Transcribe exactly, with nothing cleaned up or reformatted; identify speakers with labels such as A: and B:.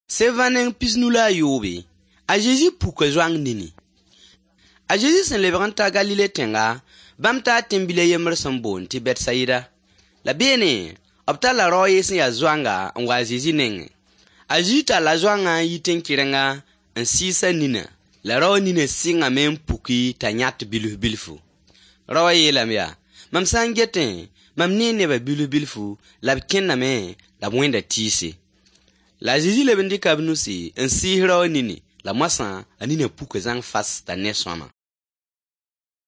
A: Sevã neng pis-nu la a yoobe, a Zezi puka zoang nini. A Zezi sẽn lebg n ta Galile tẽnga, bãmb taa tẽn-bil a yembr sẽn boond tɩ Bɛtsayida. La beene, b talla rao a ye sẽn ya zoanga n wa a Zezi nengẽ. A Zezi talla zoangã n yi tẽn-kɩrenga n sɩɩs a ninã, la raoã ninã sɩngame n puki t'a yãt bilf-bilfu. Raowã yeelame yaa: Mam sã n getẽ, mam nee nebã bilf-bilfu la b kẽndame la b wẽnda tɩɩse. La a Zezi leb n dɩka b nusi n sɩɩs raowã nini, la moasã a ninã puka zãng fas t'a ne sõama.